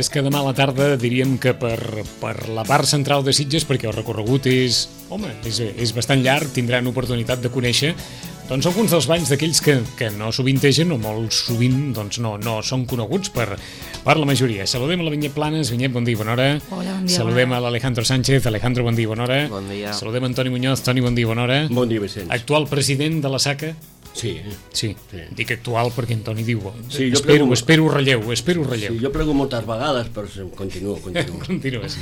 és que demà a la tarda diríem que per la part central de Sitges, perquè el recorregut és bastant llarg, tindran oportunitat de conèixer doncs alguns dels balls d'aquells que no sovintegen o molt sovint doncs no són coneguts per la majoria. Saludem a la Vinyet Planes. Vinyet, bon dia, bona hora. Hola, bon dia. Saludem a l'Alejandro Sánchez. Alejandro, bon dia, bona hora. Bon dia. Saludem a Antoni Muñoz. Toni, bon dia, bona hora. Bon dia, Vicenç. Actual president de la SACA. Sí. Dic actual perquè Antoni diu Sí, espero relleu. Sí, jo prego moltes vegades, però continuo. Continues.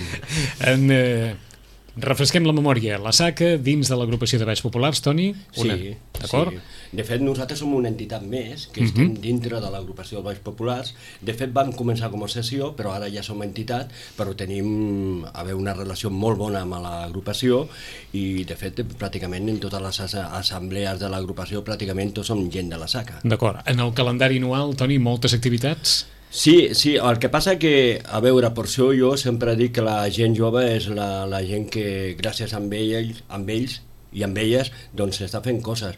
Refresquem la memòria. La SACA dins de l'agrupació de Balls Populars, Toni? Sí. D'acord? Sí. De fet, nosaltres som una entitat més que estem dintre de l'agrupació de Balls Populars. De fet, vam començar com a sessió, però ara ja som entitat, però tenim una relació molt bona amb l'agrupació i, de fet, pràcticament en totes les assemblees de l'agrupació pràcticament tots som gent de la SACA. D'acord. En el calendari anual, Toni, moltes activitats? Sí, el que passa que, a veure, per això jo sempre dic que la gent jove és la gent que gràcies a ells i amb elles doncs s'està fent coses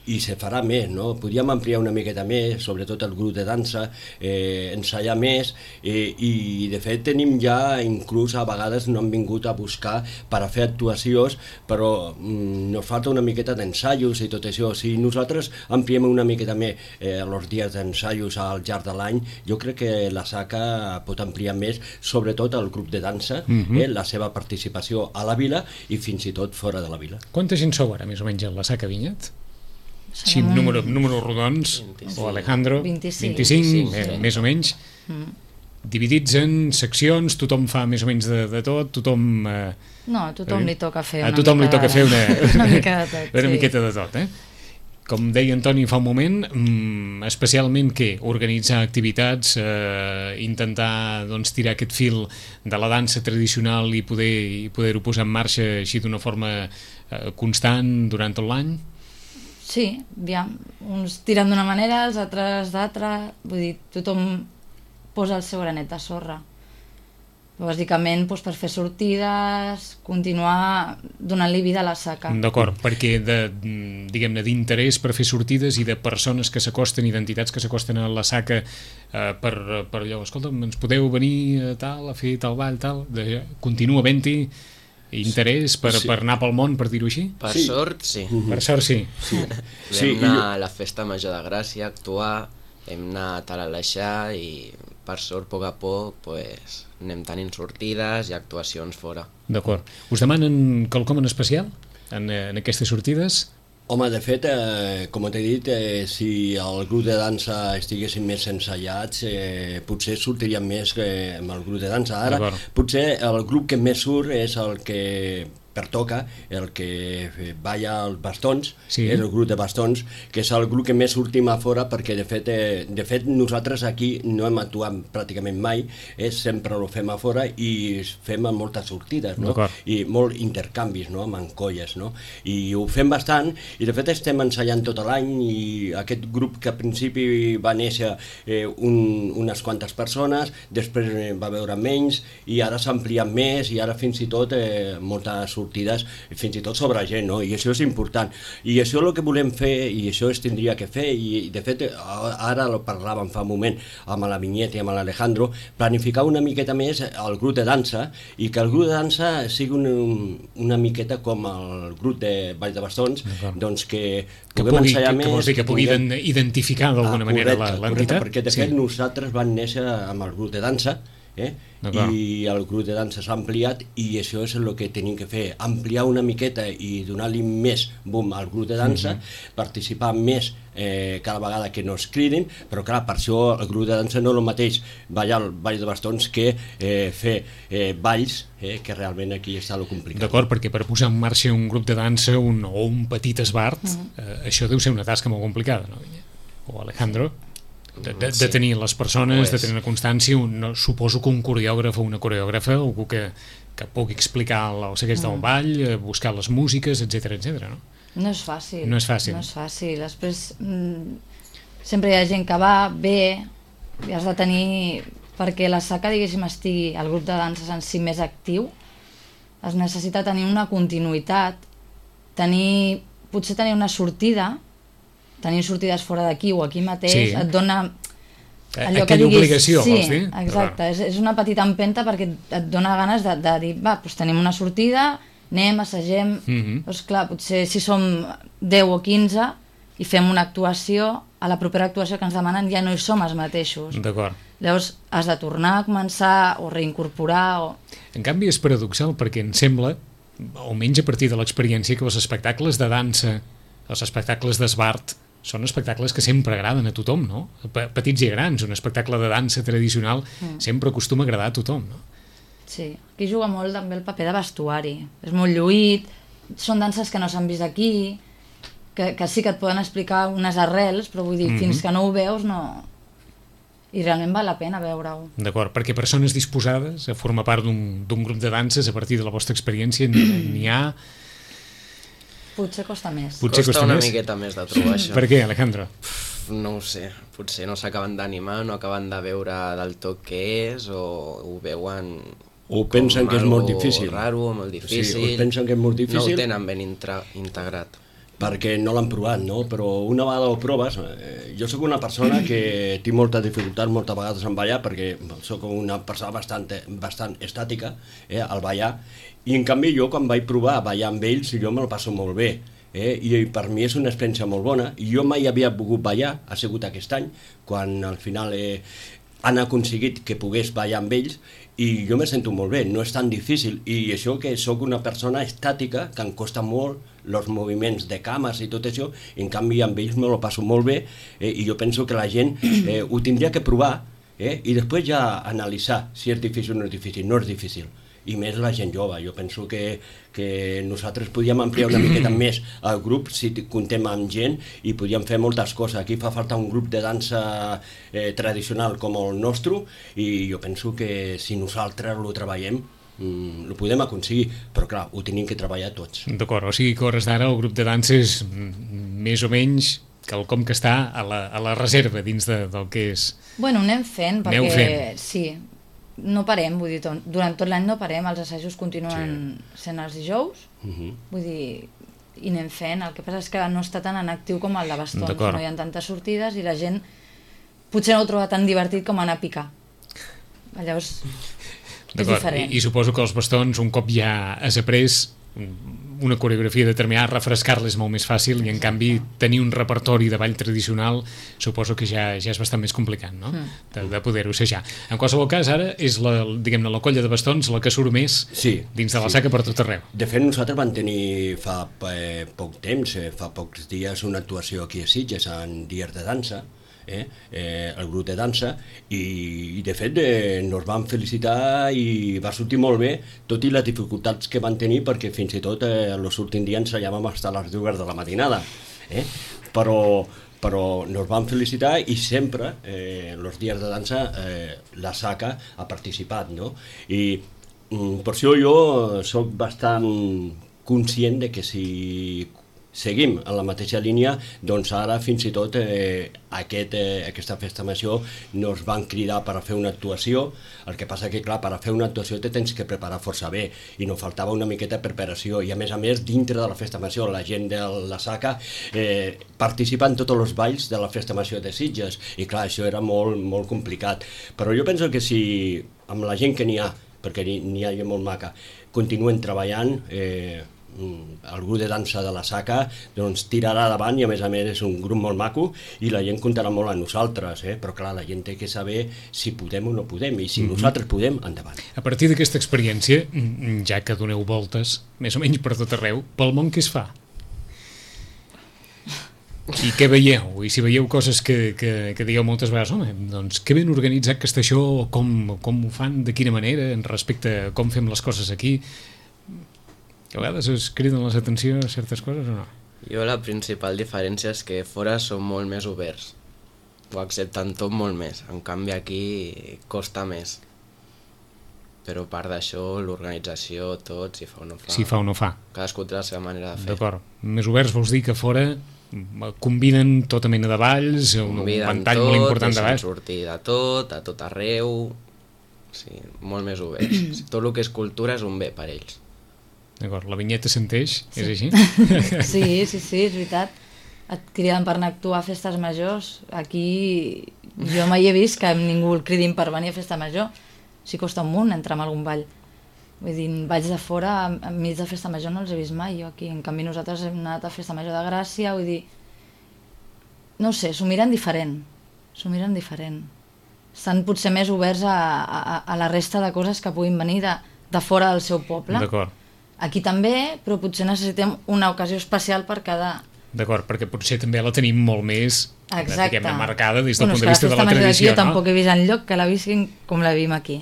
i se farà més, no? Podríem ampliar una miqueta més, sobretot el grup de dansa, ensaiar més i de fet tenim ja, inclús a vegades no han vingut a buscar per a fer actuacions, però nos falta una miqueta d'ensaios i tot això. Si nosaltres ampliem una miqueta més els dies d'ensaios al llarg de l'any, jo crec que la SACA pot ampliar més, sobretot el grup de dansa, la seva participació a la vila i fins i tot fora de la vila. Quanta gent sou ara, més o menys, en la SACA, Vinyet? Sí, números rodons, 25. O Alejandro? 25, més o menys. Dividits en seccions, tothom fa més o menys de tot, tothom... No, a tothom li toca fer una mica de tot. Una miqueta de tot, Com deia Antoni fa un moment, especialment organitzar activitats, intentar tirar aquest fil de la dansa tradicional i poder-ho posar en marxa així d'una forma constant durant tot l'any? Sí, uns tiren d'una manera, els altres d'altra, vull dir, tothom posa el seu granet de sorra. Bàsicament per fer sortides, continuar donant-li vida a la SACA. D'acord, perquè diguem-ne d'interès per fer sortides i de persones que s'acosten i d'entitats que s'acosten a la SACA per allò, escolta'm, ens podeu venir a fer tal ball, tal, continua havent-hi interès per anar pel món, per dir-ho així? Per sort, sí. Per sort, sí. Vam anar a la Festa Major de Gràcia a actuar, hem anat a l'Aleixar i per sort, a poc a poc, anem tenint sortides i actuacions fora. D'acord. Us demanen quelcom en especial en aquestes sortides? Home, de fet, com t'he dit, si el grup de dansa estiguessin més ensaiats, potser sortiríem més amb el grup de dansa. Ara, potser el grup que més surt és el que pertoca, el que balla els bastons, és el grup de bastons, que és el grup que més sortim a fora, perquè de fet nosaltres aquí no hem actuat pràcticament mai, sempre ho fem a fora i fem moltes sortides, no? I molts intercanvis, no? Amb encolles, no? I ho fem bastant, i de fet estem ensaiant tot l'any, i aquest grup que al principi va néixer unes quantes persones, després va veure menys, i ara s'ha ampliat més, i ara fins i tot moltes sortides, fins i tot sobre gent, no? I això és important. I això és el que volem fer, i això es tindria que fer, i de fet, ara ho parlàvem fa un moment amb la Vinyet i amb l'Alejandro, planificar una miqueta més el grup de dansa, i que el grup de dansa sigui una miqueta com el grup de Ball de Bastons, doncs que puguem ensaiar més... Que pugui identificar d'alguna manera l'entitat. Perquè de fet nosaltres vam néixer amb el grup de dansa, i el grup de dansa s'ha ampliat i això és el que tenim que fer, ampliar una miqueta i donar-li més boom al grup de dansa, participar més cada vegada que no es cridin, però clar, per això el grup de dansa no és el mateix ballar el ball de bastons que fer balls, que realment aquí està el complicat. D'acord, perquè per posar en marxa un grup de dansa o un petit esbart, això deu ser una tasca molt complicada, no? O Alejandro? De tenir les persones, de tenir una constància, suposo que un coreògraf o una coreògrafa, algú que pugui explicar el segueix del ball, buscar les músiques, etc, no? No és fàcil. No és fàcil. Després sempre hi ha gent que va, ve, i has de tenir... Perquè la SACA, diguéssim, estigui, el grup de danses en si més actiu, es necessita tenir una continuïtat, potser tenir una sortida, tenir sortides fora d'aquí o aquí mateix, et dona aquella obligació, vols dir? Sí, exacte, és una petita empenta perquè et dona ganes de dir, va, doncs tenim una sortida, anem, assagem, doncs clar, potser si som 10 o 15 i fem una actuació, a la propera actuació que ens demanen ja no hi som els mateixos. D'acord. Llavors has de tornar a començar o reincorporar o... En canvi és paradoxal perquè em sembla, almenys a partir de l'experiència, que els espectacles de dansa, els espectacles d'esbart, són espectacles que sempre agraden a tothom, no? Petits i grans, un espectacle de dansa tradicional sempre acostuma a agradar a tothom, no? Sí, aquí juga molt també el paper de vestuari. És molt lluït, són danses que no s'han vist aquí, que sí que et poden explicar unes arrels, però vull dir, fins que no ho veus, no... I realment val la pena veure-ho. D'acord, perquè persones disposades a formar part d'un grup de danses, a partir de la vostra experiència, n'hi ha... Potser costa més. Costa una miqueta més de trobar això. Per què, Alejandro? No ho sé, potser no s'acaben d'animar, no acaben de veure del tot què és, o ho veuen... O pensen que és molt difícil. Raro, molt difícil. Sí, o pensen que és molt difícil. No ho tenen ben integrat. Perquè no l'han provat, no? Però una vegada ho proves... jo sóc una persona que tinc molta dificultat moltes vegades en ballar, perquè sóc una persona bastant estàtica al ballar, i en canvi jo quan vaig provar a ballar amb ells jo me'l passo molt bé, i per mi és una experiència molt bona, i jo mai havia pogut ballar, ha sigut aquest any, quan al final han aconseguit que pogués ballar amb ells, i jo me sento molt bé, no és tan difícil, i això que sóc una persona estàtica, que em costa molt els moviments de cames i tot això, i en canvi amb ells me lo passo molt bé, i jo penso que la gent ho tindria que provar, i després ja analitzar si és difícil o no és difícil. No és difícil, i més la gent jove. Jo penso que nosaltres podíem ampliar una miqueta més el grup si comptem amb gent, i podíem fer moltes coses. Aquí fa falta un grup de dansa tradicional com el nostre, i jo penso que si nosaltres ho treballem ho podem aconseguir, però clar, ho tenim que treballar tots. D'acord, o sigui que a hores d'ara el grup de dansa és més o menys quelcom que està a la reserva dins del que és... Bueno, anem fent, perquè sí, no parem, vull dir, durant tot l'any no parem, els assajos continuen sent els dijous, vull dir, i anem fent. El que passa és que no està tan en actiu com el de bastons, no hi ha tantes sortides i la gent potser no ho troba tan divertit com anar a picar. Llavors és diferent. I suposo que els bastons, un cop ja has après una coreografia determinada, refrescar-la és molt més fàcil, i en canvi tenir un repertori de ball tradicional suposo que ja és bastant més complicat, no? De poder-ho assajar. En qualsevol cas, ara és la colla de bastons la que surt més dins de la saca per tot arreu. De fet, nosaltres vam tenir fa poc temps, fa pocs dies, una actuació aquí a Sitges en dies de dansa, el grup de dansa, i de fet ens van felicitar i va sortir molt bé, tot i les dificultats que van tenir, perquè fins i tot els últims dies ensaiàvem fins a les 2 de la matinada, però ens van felicitar, i sempre els dies de dansa la SACA ha participat, no? I per això jo soc bastant conscient de que si seguim en la mateixa línia, doncs ara fins i tot aquesta festa major nos van cridar per a fer una actuació. El que passa que, clar, per a fer una actuació te tens que preparar força bé, i nos faltava una miqueta de preparació, i a més, dintre de la festa major, la gent de la SACA participa en tots els balls de la festa major de Sitges, i clar, això era molt, molt complicat. Però jo penso que si amb la gent que n'hi ha, perquè n'hi ha gent molt maca, continuen treballant, el grup de dansa de la SACA doncs tirarà davant, i a més és un grup molt maco, i la gent comptarà molt amb nosaltres, però clar, la gent té que saber si podem o no podem, i si nosaltres podem, endavant. A partir d'aquesta experiència, ja que doneu voltes més o menys per tot arreu, pel món què es fa? I què veieu? I si veieu coses que digueu moltes vegades, home, doncs que ben organitzat que està això, com ho fan, de quina manera, respecte a com fem les coses aquí, que a vegades us criden l'atenció certes coses o no? Jo la principal diferència és que fora són molt més oberts, ho accepten tot molt més, en canvi aquí costa més, però a part d'això l'organització, tot, si fa o no fa. Si fa o no fa. Cadascú té la seva manera de fer. D'acord, més oberts vols dir que fora combinen tota mena de balls, un ventall molt important de balls. Sortir de tot arreu, sí, molt més oberts. Tot el que és cultura és un bé per ells. D'acord, la vinyeta s'enteix, és així? Sí, és veritat. et criden per anar a actuar a festes majors. Aquí jo mai he vist que ningú el cridin per venir a festa major. Sí costa un munt entrar en algun ball. Vull dir, balls de fora, enmig de festa major no els he vist mai, jo aquí. En canvi nosaltres hem anat a festa major de Gràcia, vull dir... No sé, s'ho miren diferent. Estan potser més oberts a la resta de coses que puguin venir de fora del seu poble. D'acord. Aquí també, però potser necessitem una ocasió especial per cada... D'acord, perquè potser també la tenim molt més marcada des del punt de la vista de la festa major tradició, jo tampoc he vist enlloc que la visquin com la vivim aquí.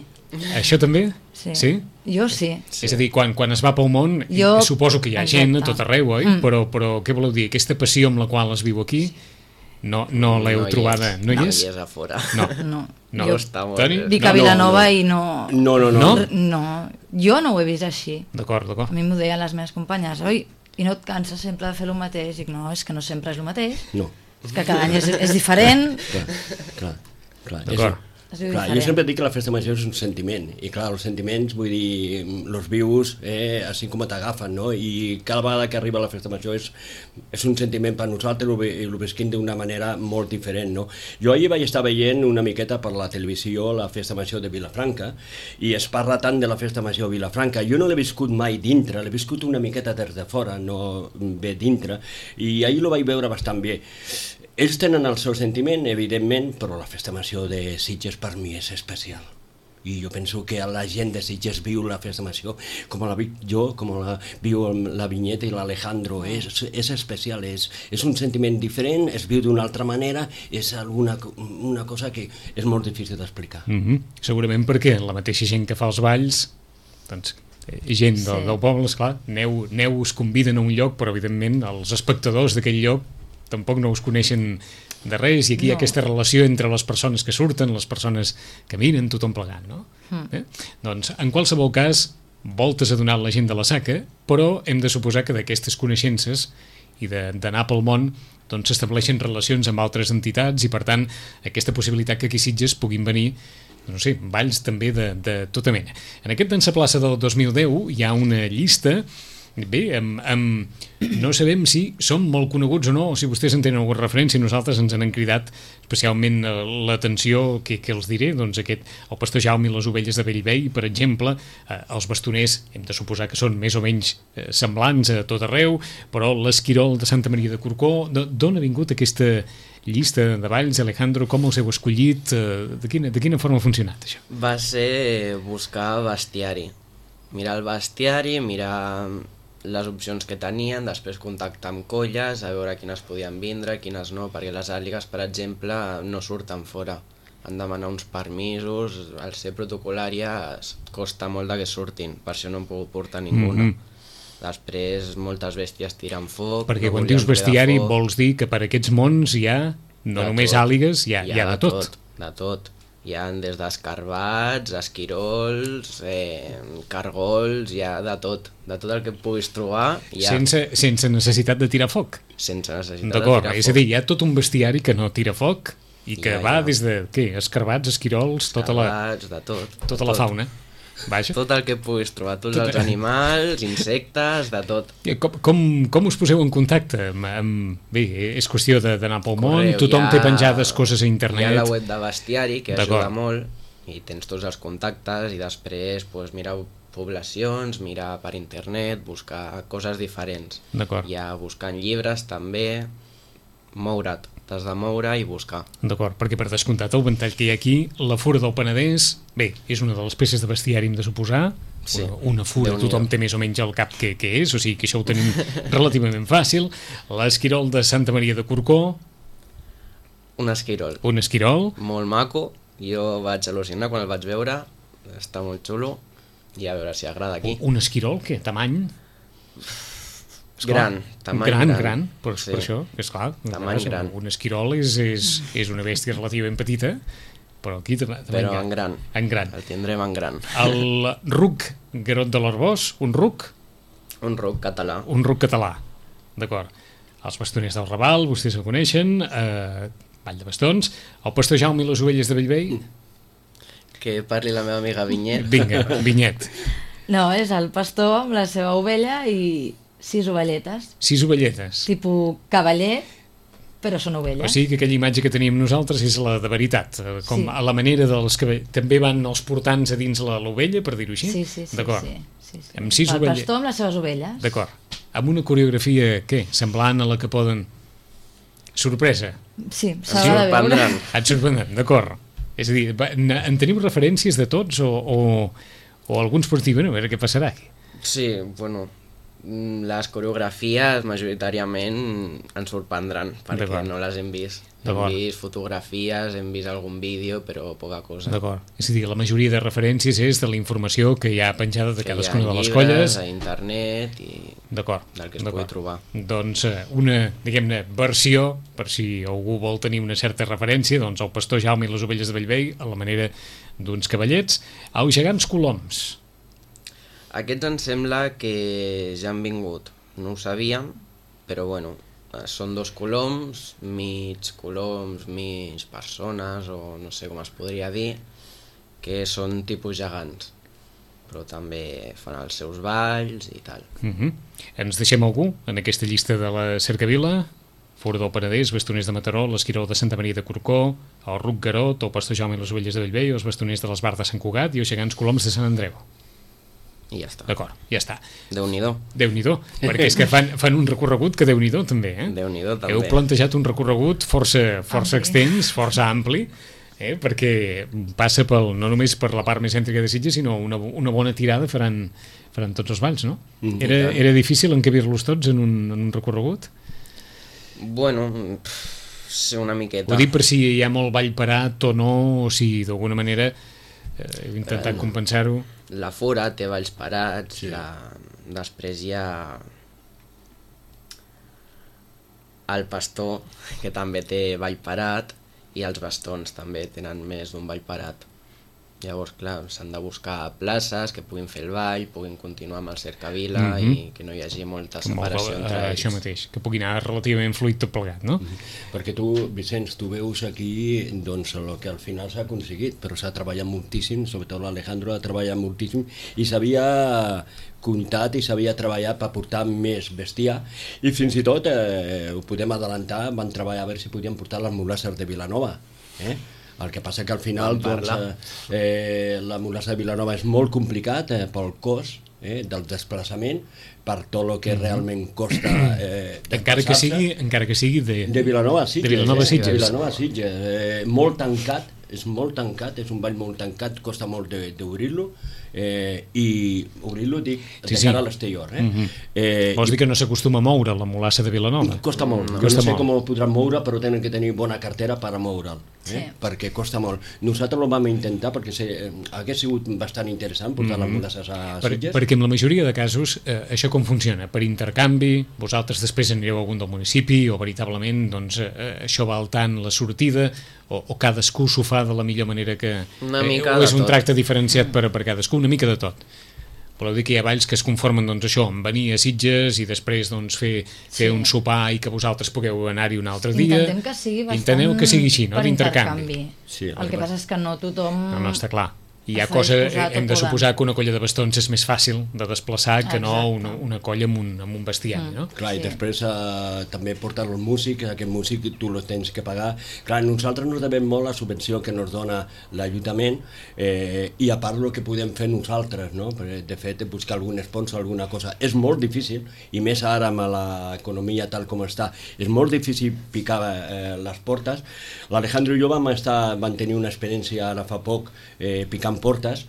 Això també? Sí. Jo sí. És a dir, quan es va pel món, suposo que hi ha gent a tot arreu, oi? Però què voleu dir? Aquesta passió amb la qual es viu aquí no l'heu trobada? No hi és? No hi és a fora. No. Jo dic a Vilanova i no... No. No, jo no ho he vist així. D'acord. A mi m'ho deien les meves companyes, oi? I no et canses sempre de fer el mateix? Dic, no, és que no sempre és el mateix. No. És que cada any és diferent. Clar. D'acord. Clar, jo sempre dic que la festa major és un sentiment, i clar, els sentiments, vull dir, los vius, així com t'agafen, no? I cada vegada que arriba la festa major és un sentiment per nosaltres i ho visquim d'una manera molt diferent, no? Jo ahir vaig estar veient una miqueta per la televisió la festa major de Vilafranca, i es parla tant de la festa major de Vilafranca. Jo no l'he viscut mai dintre, l'he viscut una miqueta des de fora, no bé dintre, i ahir ho vaig veure bastant bé. Ells tenen el seu sentiment, evidentment, però la festa major de Sitges per mi és especial. I jo penso que la gent de Sitges viu la festa major com la vic jo, com la viu la Vinyeta i l'Alejandro. És especial, és un sentiment diferent, es viu d'una altra manera, és una cosa que és molt difícil d'explicar. Segurament perquè la mateixa gent que fa els balls, doncs, gent del poble, esclar, aneu us conviden a un lloc, però evidentment els espectadors d'aquell lloc tampoc no us coneixen de res, i aquí hi ha aquesta relació entre les persones que surten, les persones que miren, tothom plegant, no? Doncs, en qualsevol cas, voltes ha donat la gent de la Saca, però hem de suposar que d'aquestes coneixences i d'anar pel món doncs s'estableixen relacions amb altres entitats, i per tant aquesta possibilitat que aquí a Sitges puguin venir, no sé, balls també de tota mena. En aquest Dansa Plaça del 2010 hi ha una llista. Bé, no sabem si són molt coneguts o no, o si vostès en tenen alguna referència. Nosaltres ens han cridat especialment l'atenció, que els diré, doncs el Pastor Jaume i les ovelles de Bellvei, per exemple. Els bastoners hem de suposar que són més o menys semblants a tot arreu, però l'Esquirol de Santa Maria de Corcó. D'on ha vingut aquesta llista de balls, Alejandro? Com els heu escollit? De quina forma ha funcionat això? Va ser buscar bestiari, mirar el bestiari, mirar les opcions que tenien, després contactar amb colles, a veure quines podien vindre, quines no, perquè les àligues, per exemple, no surten fora. Han de demanar uns permisos, al ser protocolària costa molt de que surtin, per això no en puc portar ninguna. Després moltes bèsties tiren foc. Perquè quan dius bestiari vols dir que per aquests mons hi ha, no només àligues, hi ha de tot. De tot. Hi ha des d'escarbats, esquirols, cargols, hi ha de tot el que puguis trobar. Sense necessitat de tirar foc? Sense necessitat de tirar foc. D'acord, és a dir, hi ha tot un bestiari que no tira foc i que va des de, escarbats, esquirols, tota la fauna. Vaja. Tot el que puguis trobar, tots els animals, insectes, de tot. Com us poseu en contacte? Bé, és qüestió d'anar pel món, tothom té penjades coses a internet. Hi ha la web de bestiari, que ajuda molt, i tens tots els contactes, i després mirar poblacions, mirar per internet, buscar coses diferents. Hi ha buscant llibres també, moure't. T'has de moure i buscar. D'acord, perquè per descomptat el ventall que hi ha aquí, la Fura del Penedès, bé, és una de les peces de bestiari, hem de suposar. Sí, una fura, tothom té més o menys al cap què és, o sigui que això ho tenim relativament fàcil. L'Esquirol de Santa Maria de Corcó. Un esquirol. Un esquirol. Molt maco, jo vaig al·lucinar quan el vaig veure, està molt xulo, i a veure si agrada aquí. Un esquirol, què? Tamany? Gran, tamany gran, per això, és clar. Tamany gran. Un esquirol és una bèstia relativament petita, però aquí però en gran. En gran. El tindrem en gran. El ruc Garot de l'Arbós, un ruc? Un ruc català. Un ruc català, d'acord. Els bastoners del Raval, vostès el coneixen, Vall de Bastons. El Pastor Jaume i les ovelles de Bellvei? Que parli la meva amiga Vinyet. Vinga, Vinyet. No, és el pastor amb la seva ovella i 6 ovelletes. 6 ovelletes. Tipus cavaller. però són ovelles. O sigui que aquella imatge que teníem nosaltres és la de veritat, com a la manera dels que també van els portants a dins l'ovella, per dir-ho així? Sí. D'acord. Sí. Amb 6 el pastor amb les seves ovelles. D'acord. Amb una coreografia, què? Semblant a la que poden... Sorpresa. Sí, s'ha de veure. Et sorprendran, d'acord. És a dir, en teniu referències de tots o alguns pots dir, bueno, a veure què passarà aquí? Sí, bueno, les coreografies majoritàriament ens sorprendran perquè no les hem vist. Hem vist fotografies, hem vist algun vídeo, però poca cosa. D'acord. És a dir, la majoria de referències és de la informació que hi ha penjada de cadascuna de les colles. Que hi ha llibres, a internet i del que es pugui trobar. Doncs una, diguem-ne, versió, per si algú vol tenir una certa referència, doncs el pastor Jaume i les ovelles de Bellvei, a la manera d'uns cavallets. Als gegants coloms. Aquests em sembla que ja han vingut. No ho sabíem, però bueno, són 2 coloms, mig persones, o no sé com es podria dir, que són tipus gegants, però també fan els seus balls i tal. Ens deixem algú en aquesta llista de la Cercavila? Fora del Penedès, Bastoners de Mataró, l'Esquirol de Santa Maria de Corcó, el Ruc Garot, el pastor Jaume i les ovelles de Bellvei, els Bastoners de l'Esbar de Sant Cugat i els gegants coloms de Sant Andreu. I ja està. D'acord, ja està. Déu-n'hi-do. Déu-n'hi-do, perquè és que fan un recorregut que Déu-n'hi-do també, Déu-n'hi-do també. Heu plantejat un recorregut força extens, força ampli, perquè passa no només per la part més cèntrica de Sitges, sinó una bona tirada faran tots els balls, no? Era difícil encabir-los tots en un recorregut? Bueno, sí, una miqueta. Ho dic per si hi ha molt ball parat o no, o si d'alguna manera heu intentat compensar-ho. La fora té balls parats, després hi ha el pastor, que també té ball parat, i els bastons també tenen més d'un ball parat. Llavors, clar, s'han de buscar places que puguin fer el ball, puguin continuar amb el Cercavila i que no hi hagi molta separació entre ells. Això mateix, que pugui anar relativament fluid tot plegat, no? Perquè tu, Vicenç, tu veus aquí doncs, el que al final s'ha aconseguit, però s'ha treballat moltíssim, sobretot l'Alejandro ha treballat moltíssim i s'havia comptat i s'havia treballat per portar més bestiar i fins i tot, ho podem adelantar, van treballar a veure si podien portar les mulasses de Vilanova, El que passa que al final la mulassa de Vilanova és molt complicat pel cost del desplaçament, per tot el que realment costa encara que sigui de Vilanova a Sitges. De Vilanova a Sitges. Vilanova a Sitges. Molt tancat, és un ball molt tancat, costa molt d'obrir-lo, i obrir-lo dic de cara a l'exterior. Vols dir que no s'acostuma a moure la mulassa de Vilanova? Costa molt, jo no sé com ho podran moure, però tenen que tenir bona cartera per a moure'l, perquè costa molt. Nosaltres ho vam intentar perquè hagués sigut bastant interessant portar les mulasses a Sitges. Perquè en la majoria de casos això com funciona? Per intercanvi, vosaltres després anireu a algun del municipi o veritablement això val tant la sortida o cadascú s'ho fa de la millor manera que... o és un tracte diferenciat per cadascú, una mica de tot. Voleu dir que hi ha balls que es conformen amb venir a Sitges i després fer un sopar i que vosaltres pugueu anar-hi un altre dia. Intentem que sigui bastant Inteneu que sigui així, no? Per d'intercanvi. El que passa és que no tothom... No, està clar. I hi ha hem de suposar que una colla de bastons és més fàcil de desplaçar que no una colla amb un bestiari, no? Clar, i després també portar el músic, aquest músic tu lo tens que pagar. Clar, nosaltres nos devem molt la subvenció que nos dona l'Ajuntament i a part el que podem fer nosaltres, no? De fet, buscar algun sponsor, alguna cosa. És molt difícil, i més ara amb l'economia tal com està, és molt difícil picar les portes. L'Alejandro i jo vam tenir una experiència ara fa poc picant portes.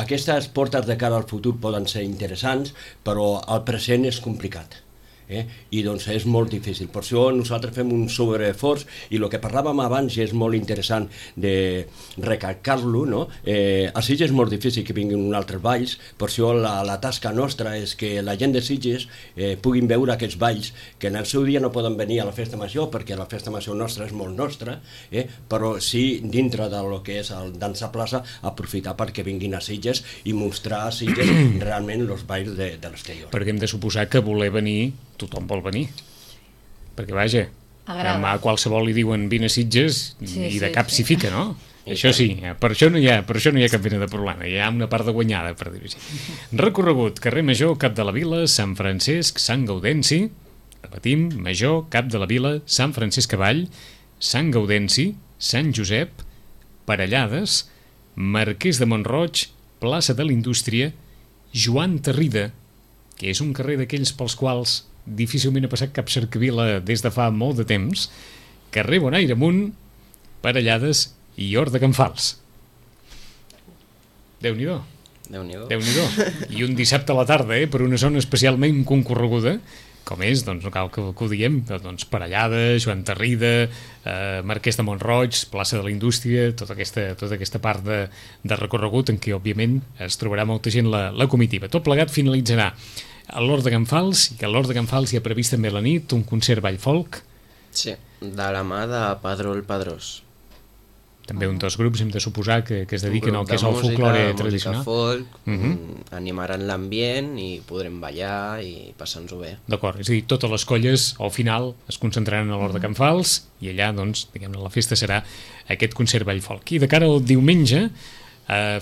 Aquestes portes de cara al futur poden ser interessants, però el present és complicat. I doncs és molt difícil. Per això nosaltres fem un sobreesforç i el que parlàvem abans i és molt interessant de recalcar-lo, no? A Sitges és molt difícil que vinguin uns altres balls, per això la tasca nostra és que la gent de Sitges puguin veure aquests balls que en el seu dia no poden venir a la festa major perquè la festa major nostra és molt nostra, però sí dintre del que és el Dansa Plaça aprofitar perquè vinguin a Sitges i mostrar a Sitges realment els balls de l'exterior. Perquè hem de suposar que voler venir tothom vol venir, perquè vaja, a qualsevol li diuen vine a Sitges i de cap s'hi fica, no? Això sí, per això no hi ha cap mena de problema, hi ha una part de guanyada, per dir-ho així. Recorregut, carrer Major, Cap de la Vila, Sant Francesc, Sant Gaudenci, repetim, Major, Cap de la Vila, Sant Francesc Cavall, Sant Gaudenci, Sant Josep, Parellades, Marquès de Mont-roig, plaça de la Indústria, Joan Tarrida, que és un carrer d'aquells pels quals difícilment ha passat cap cercavila des de fa molt de temps, carrer Bonaire amunt, Parellades i Hort de Can Fals. Déu-n'hi-do. Déu-n'hi-do. I un dissabte a la tarda, per una zona especialment concorreguda, com és, doncs no cal que ho diguem, doncs Parellada, Joan Tarrida, Marquès de Mont-roig, plaça de la Indústria, tota aquesta part de recorregut en què, òbviament, es trobarà molta gent la comitiva. Tot plegat finalitzarà a l'Hort de Can Fals, i que a l'Hort de Can Fals hi ha previst també a la nit un concert ball-folk. Sí, de la mà de Padró el Padrós. També un dels grups, hem de suposar, que es dediquen al que és el folklore tradicional. Música folk, animaran l'ambient i podrem ballar i passar-nos-ho bé. D'acord, és a dir, totes les colles al final es concentraran a l'Hort de Can Fals i allà, doncs, diguem-ne, la festa serà aquest concert ball-folk. I de cara al diumenge,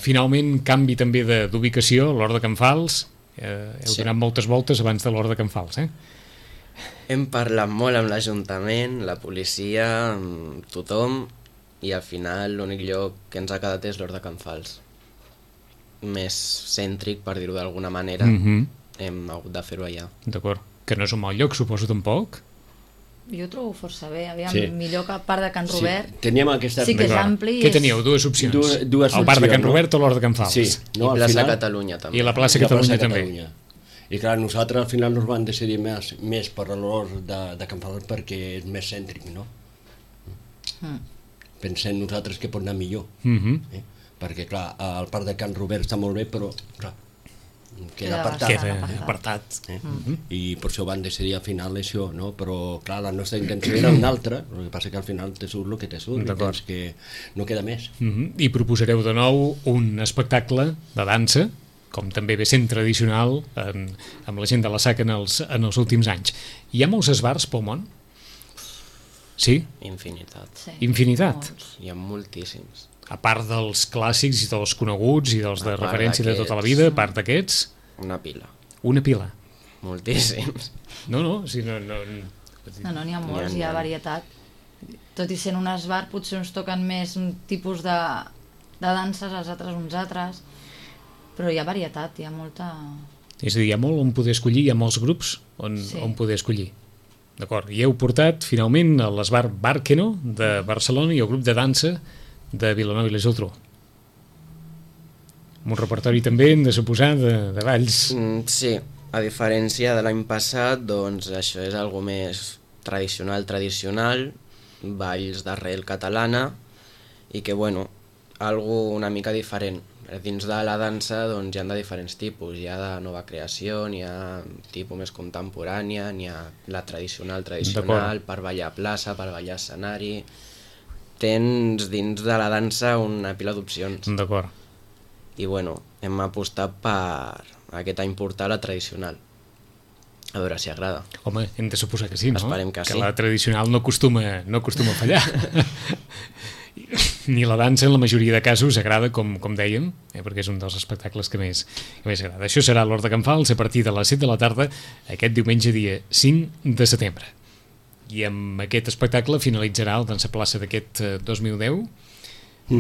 finalment canvi també d'ubicació, l'Hort de Can Fals, heu donat moltes voltes abans de l'Hort de Can Fals, Hem parlat molt amb l'Ajuntament, la policia, amb tothom, i al final l'únic lloc que ens ha quedat és l'Hort de Can Fals. Més cèntric, per dir-ho d'alguna manera, hem hagut de fer-ho allà. D'acord, que no és un mal lloc, suposo tampoc? Jo ho trobo força bé, millor que el parc de Can Robert. Teníem aquesta... Sí que és ampli. Què teníeu? Dues opcions. El parc de Can Robert o l'Hort de Can Fals? Sí. I Plaça Catalunya també. I la Plaça Catalunya també. I clar, nosaltres al final nos van decidir més per l'Hort de Can Fals perquè és més cèntric, no? Pensem nosaltres que pot anar millor. Perquè clar, el parc de Can Robert està molt bé, però clar, queda apartat. I per això van decidir al final això, no? Però clar, la nostra intenció era una altra, el que passa que al final te surt el que te surt, que no queda més. I proposareu de nou un espectacle de dansa, com també ve sent tradicional amb la gent de la SAC en els últims anys. Hi ha molts esbarts pel món? Sí? Infinitat. Sí. Infinitat? Hi ha moltíssims. A part dels clàssics i dels coneguts i dels de referència de tota la vida, a part d'aquests? Una pila. Una pila? Moltíssims. No, No, n'hi ha molts, hi ha varietat. Tot i sent un esbart, potser uns toquen més un tipus de danses, els altres uns altres, però hi ha varietat, hi ha molta... És a dir, hi ha molt on poder escollir, hi ha molts grups on poder escollir. D'acord, i heu portat finalment a l'esbar Bàrqueno de Barcelona i el grup de dansa de Vilanova i la Geltrú. Amb un repertori també, hem de suposar, de balls. Sí, a diferència de l'any passat, doncs això és algo més tradicional, balls d'arrel catalana, i que, bueno, algo una mica diferent. Dins de la dansa doncs, hi ha de diferents tipus, hi ha de nova creació, n'hi ha tipus més contemporània, n'hi ha la tradicional, per ballar a plaça, per ballar a escenari. Tens dins de la dansa una pila d'opcions. D'acord. I bueno, hem apostat per aquest any portar la tradicional. A veure si agrada. Home, hem de suposar que sí, no? Esperem que sí. Que la tradicional no acostuma a fallar. Ni la dansa en la majoria de casos agrada, com dèiem, perquè és un dels espectacles que més agrada. Això serà a l'Hort de Can Fals a partir de les 7 de la tarda aquest diumenge dia 5 de setembre. I amb aquest espectacle finalitzarà el Dansa Plaça d'aquest 2010,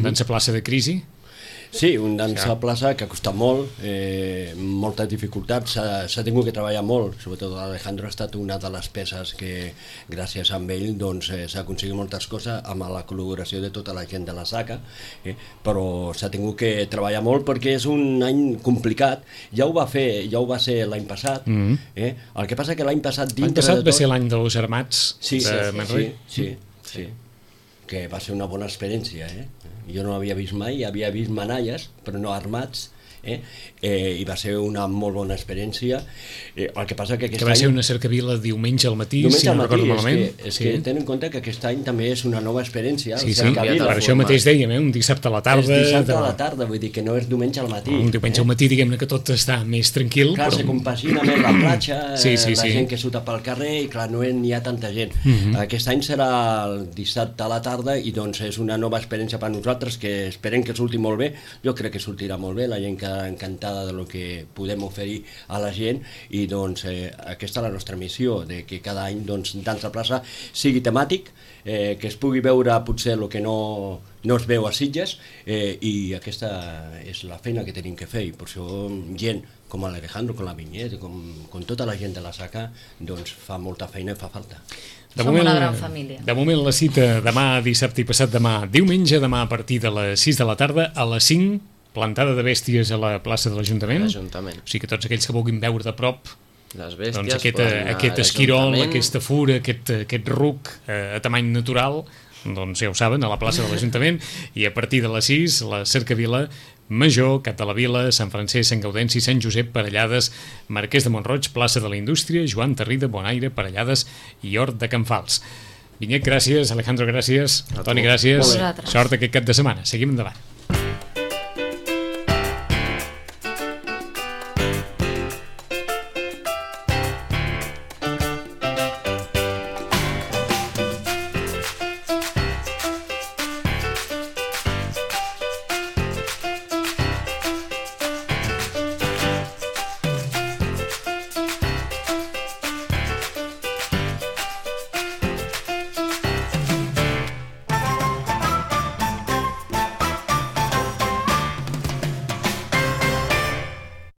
Dansa Plaça de Crisi. Sí, un dansa plaça que ha costat molt, moltes dificultats, s'ha tingut que treballar molt, sobretot l'Alejandro ha estat una de les peces que gràcies a ell doncs, s'ha aconseguit moltes coses amb la col·laboració de tota la gent de la SACA, però s'ha tingut que treballar molt perquè és un any complicat, ja ho va ser l'any passat, el que passa que l'any passat l'any passat va ser l'any dels Armats de Manresa. Sí, que va ser una bona experiència, jo no l'havia vist mai, havia vist manalles, però no armats, i va ser una molt bona experiència. El que passa que aquest any... va ser una cercavila diumenge al matí, si no recordo malament. És que tenen en compte que aquest any també és una nova experiència. Sí, per això mateix dèiem, un dissabte a la tarda... És dissabte a la tarda, vull dir que no és diumenge al matí. Un diumenge al matí, diguem-ne que tot està més tranquil. Clar, se compagina més la platja, la gent que surta pel carrer, i clar, no n'hi ha tanta gent. Aquest any serà el dissabte a la tarda i doncs és una nova experiència per nosaltres que esperem que surti molt bé. Jo crec que sortirà molt bé, la gent que estarà encantada del que podem oferir a la gent i doncs aquesta és la nostra missió, de que cada any doncs, Dansa Plaça sigui temàtic, que es pugui veure potser el que no es veu a Sitges i aquesta és la feina que tenim que fer i per això gent com l'Alejandro, com la Vinyet, com tota la gent de la SACA doncs fa molta feina i fa falta. Som una gran família. De moment la cita demà, dissabte i passat demà, diumenge, demà a partir de les 6 de la tarda, a les 5, plantada de bèsties a la plaça de l'Ajuntament. O sigui que tots aquells que vulguin veure de prop les bèsties, doncs aquest esquirol, aquesta fura, aquest ruc a tamany natural, doncs ja ho saben, a la plaça de l'Ajuntament, i a partir de les 6, la Cercavila Major, Cap de la Vila, Sant Francesc, Sant Gaudenci, Sant Josep, Parellades, Marquès de Montroig, plaça de la Indústria, Joan Tarrida, Bonaire, Parellades i Hort de Can Fals. Vinyet, gràcies. Alejandro, gràcies. Toni, gràcies. Sort aquest cap de setmana. Seguim endavant.